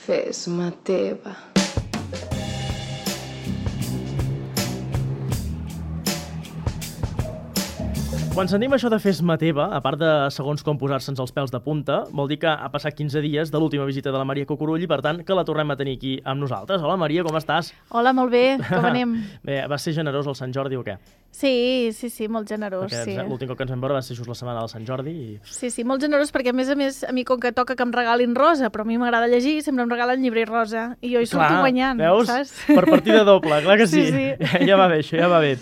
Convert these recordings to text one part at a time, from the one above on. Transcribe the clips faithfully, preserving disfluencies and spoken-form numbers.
Fes-me teva. Quan sentim això de fes-me teva, a part de segons com posar-se'ns els pèls de punta, vol dir que ha passat quinze dies de l'última visita de la Maria Cucurull i, per tant, que la tornem a tenir aquí amb nosaltres. Hola, Maria, com estàs? Hola, molt bé. Com anem? Bé, va ser generós el Sant Jordi o què? Sí, sí, sí, molt generós. Perquè sí. L'últim cop que ens vam veure va ser just la setmana del Sant Jordi. I... Sí, sí, molt generós, perquè a més a més, a mi com que toca que em regalin rosa, però a mi m'agrada llegir, sempre em regalen llibre i rosa, i jo hi surto guanyant, veus? saps? Per partida doble, clar que sí. Sí, sí. Ja va bé, això ja va bé.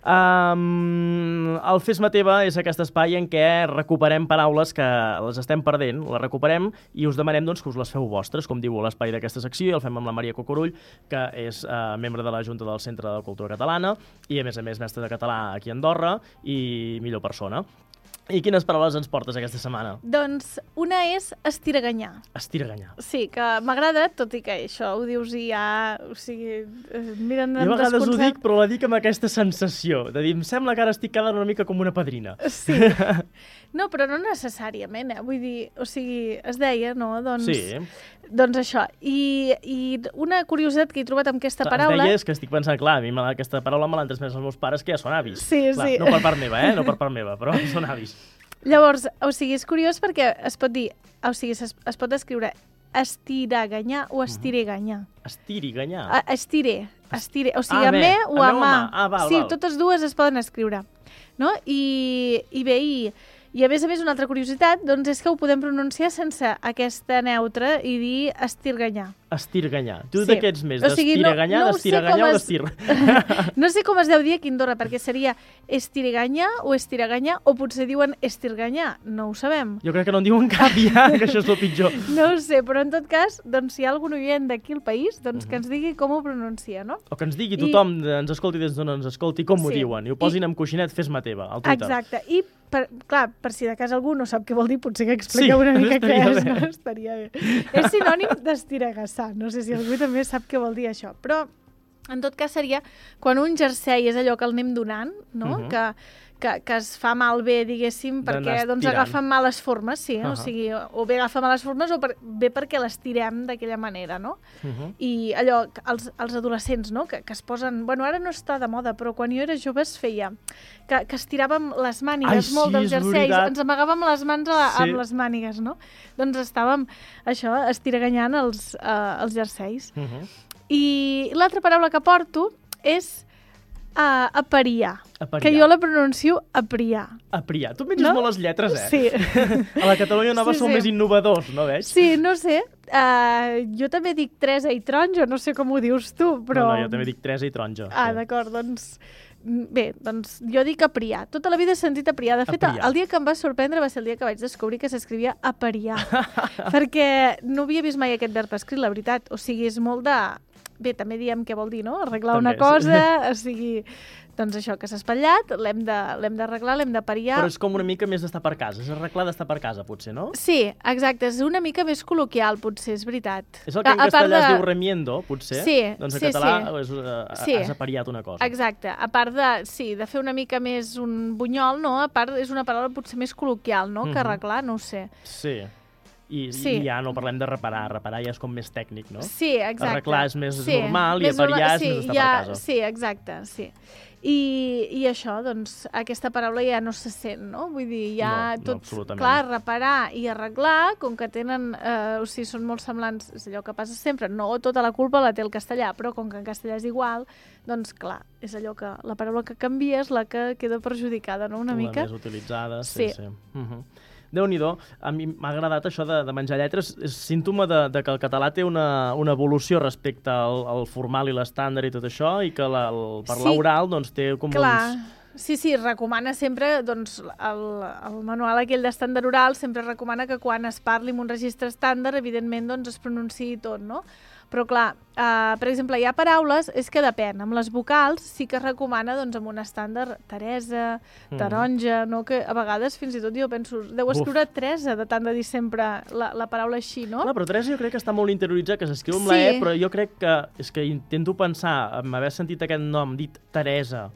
Um, el Fes-me teva és aquest espai en què recuperem paraules que les estem perdent, les recuperem i us demanem doncs, que us les feu vostres, com diu l'espai d'aquesta secció, i el fem amb la Maria Cucurull, que és uh, membre de la Junta del Centre de Cultura Catalana i, a més a més, mestre de català aquí a Andorra i millor persona. I quines paraules ens portes aquesta setmana? Doncs una és estiraganyar. Estiraganyar. Sí, que m'agrada, tot i que això ho dius i ja... O sigui, eh, miren jo a vegades ho dic, però la dic amb aquesta sensació, de dir, em sembla que ara estic quedant una mica com una padrina. Sí. No, però no necessàriament, eh? Vull dir, o sigui, es deia, no? Doncs, sí. Doncs això. I, I una curiositat que he trobat amb aquesta paraula... Es deia, és que estic pensant, clar, a mi aquesta paraula me l'han transmès els meus pares, que ja són avis. Sí, clar, sí. No per part meva, eh? No per part meva, però són avis. Llavors, o sigui, és curiós perquè es pot dir, o sigui, es, es pot escriure estiraganyar o estireganyar. Estiriganyar? A, estire, estire, o sigui, ah, a me o a mà. Ah, val, sí, val. Totes dues es poden escriure, no? I, i bé, i, i a més a més una altra curiositat, doncs és que ho podem pronunciar sense aquesta neutra i dir estirganyar. Estirganyar. Tu sí. de què ets més? O sigui, d'estiraganyar, no, no d'estiraganyar o es... d'estir? No sé com es deu dir aquí a Andorra, perquè seria estirganyar o estiraganyar, o potser diuen estirganyar, no ho sabem. Jo crec que no en diuen cap ja, que això és el pitjor. No ho sé, però en tot cas, doncs, si hi ha algun oient d'aquí al país, doncs uh -huh. que ens digui com ho pronuncia, no? O que ens digui tothom, I... ens escolti des d'on ens escolti, com sí. ho diuen, i ho posin I... amb coixinet, fes-me teva, al Twitter. Exacte, i per, clar, per si de cas algú no sap què vol dir, potser que expliqueu sí, una mica què és, no? Estaria bé. És sinònim d'estiragassar, no sé si algú també sap què vol dir això, però en tot cas seria quan un jersei és allò que el anem donant, no? Uh -huh. que, que, que es fa malbé, diguéssim, perquè doncs, agafa males formes, sí, uh -huh. o sigui, o bé agafa males formes o per, bé perquè l'estirem d'aquella manera, no? Uh -huh. I allò, els, els adolescents, no? Que, que es posen... Bueno, ara no està de moda, però quan jo era jove es feia que, que estiràvem les mànigues Ai, molt sí, dels jerseis, veritat. ens amagàvem les mans a la, sí. amb les mànigues, no? Doncs estàvem, això, estiraganyant els, uh, els jerseis. Uh -huh. I l'altra paraula que porto és uh, apariar, apariar, que jo la pronuncio apriar. Apriar. Tu menges no? molt les lletres, eh? Sí. A la Catalunya Nova sí, sou sí. més innovadors, no veig? Sí, no sé. Uh, jo també dic Teresa i taronja, no sé com ho dius tu, però... No, no, jo també dic Teresa i taronja. Ah, sí. d'acord, doncs... Bé, doncs jo dic apriar. Tota la vida he sentit apriar. De fet, apriar. El dia que em va sorprendre va ser el dia que vaig descobrir que s'escrivia apariar. Perquè no havia vist mai aquest verb escrit, la veritat. O sigui, és molt de... Bé, també diem què vol dir, no? Arreglar també, una cosa, o sigui... Doncs això, que s'ha espatllat, l'hem d'arreglar, l'hem d'apariar... Però és com una mica més d'estar per casa, és arreglar d'estar per casa, potser, no? Sí, exacte, és una mica més col·loquial, potser, és veritat. És el que en a, castellà de... es diu remiendo, potser? Sí, doncs en sí, català sí. És, uh, sí. has apariat una cosa. Exacte, a part de, sí, de fer una mica més un bunyol, no? A part és una paraula potser més col·loquial, no? Mm-hmm. Que arreglar, no ho sé. Sí. I, sí. I ja no parlem de reparar, reparar ja és com més tècnic, no? Sí, exacte. Arreglar és més sí. normal més i apariar sí, és més estar ja, per casa. Sí, exacte, sí. I, I això, doncs, aquesta paraula ja no se sent, no? Vull dir, ja no, tot, no, clar, reparar i arreglar, com que tenen, eh, o sigui, són molt semblants, és allò que passa sempre, no tota la culpa la té el castellà, però com que en castellà és igual, doncs, clar, és allò que la paraula que canvia és la que queda perjudicada, no?, una la mica. La més utilitzada, sí, sí. sí. Uh-huh. Déu-n'hi-do, a mi m'ha agradat això de, de menjar lletres, és símptoma de, de que el català té una, una evolució respecte al, al formal i l'estàndard i tot això, i que la, el parlar sí, oral doncs, té com clar. uns... Sí, sí, recomana sempre, doncs, el, el manual aquell d'estàndard oral sempre recomana que quan es parli en un registre estàndard, evidentment, doncs, es pronunciï tot, no? Però, clar, eh, per exemple, hi ha paraules, és que depèn, amb les vocals sí que es recomana, doncs, amb un estàndard Teresa, taronja, mm. no? Que a vegades, fins i tot, jo penso, deu escriure Uf. Teresa, de tant de dir sempre la, la paraula així, no? Clar, però Teresa jo crec que està molt interioritzat, que s'escriu amb sí. la E, però jo crec que, és que intento pensar, amb haver sentit aquest nom dit Teresa,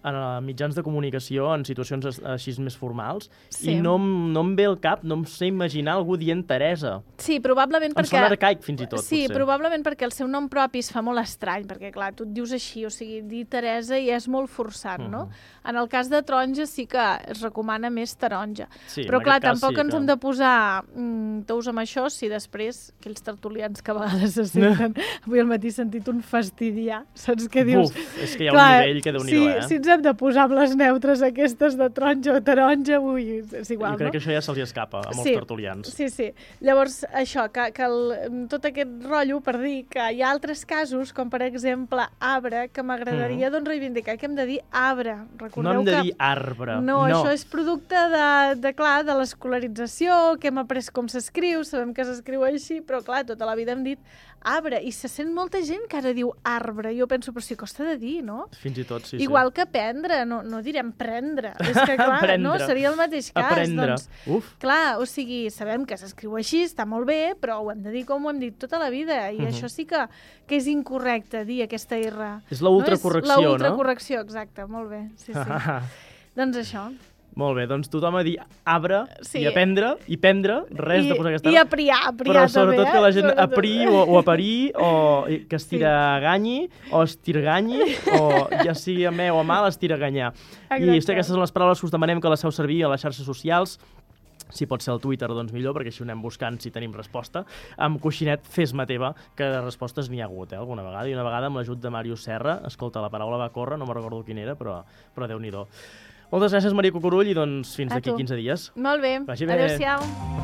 en mitjans de comunicació en situacions així més formals Sí. i no, no em ve al cap, no em sé imaginar algú dient Teresa. Sí, probablement Em perquè... sona arcaic, fins i tot, Sí, potser. probablement perquè el seu nom propi es fa molt estrany, perquè, clar, tu et dius així, o sigui, dir Teresa ja és molt forçat, no? Mhm. En el cas de taronja sí que es recomana més taronja. Sí, Però, en clar, aquest cas tampoc sí ens que- hem de posar mm, tous amb això si després aquells tertulians que a vegades se senten... Avui al matí he sentit un fastidiar, saps què dius? Buf, és que hi ha un nivell que déu-n'hi-do, si, eh? Si ens hem de posar amb les neutres aquestes de taronja o taronja, ui, és igual, jo crec no? que això ja se'ls escapa a molts Sí, tertulians. Sí, sí. Llavors, això, que, que el, tot aquest rotllo per dir que hi ha altres casos, com per exemple arbre, que m'agradaria doncs reivindicar que hem de dir arbre. Recordeu No hem de que... dir arbre. No, no, això és producte de, de, clar, de l'escolarització, que hem après com s'escriu, sabem que s'escriu així, però clar, tota la vida hem dit arbre, i se sent molta gent que ara diu arbre. Jo penso, però si costa de dir, no? Fins i tot, sí, Igual sí. que prendre, no, no direm prendre. És que, clar, Prendre. no? Seria el mateix cas. Aprendre. Doncs, Uf. clar, o sigui, sabem que s'escriu així, està molt bé, però ho hem de dir com ho hem dit tota la vida, i Mhm. això sí que, que és incorrecte, dir aquesta R. És la ultracorrecció, no? És la no? ultracorrecció, exacte, molt bé, sí, sí. Doncs això. Molt bé, doncs tothom a dir arbre Sí. i aprendre, i prendre, res I, de posar aquesta... I apriar, apriar Però també, sobretot eh? que la gent Sobretot. apri o, o aparir, o que estiraganyi, o estirganyi, o ja sigui a me o a mal, estiraganyar. I Exacte. aquestes són les paraules que us demanem que les feu servir a les xarxes socials. Si pot ser al Twitter, doncs millor, perquè així ho anem buscant si tenim resposta. Amb coixinet Fes-me teva, que de respostes n'hi ha hagut, eh, alguna vegada. I una vegada amb l'ajut de Màrius Serra, escolta, la paraula va córrer, no me'n recordo quin era, però, però Déu-n'hi-do. Moltes gràcies, Maria Cucurull, i doncs fins A d'aquí tu. quinze dies. Molt bé, Vagi bé. adéu-siau.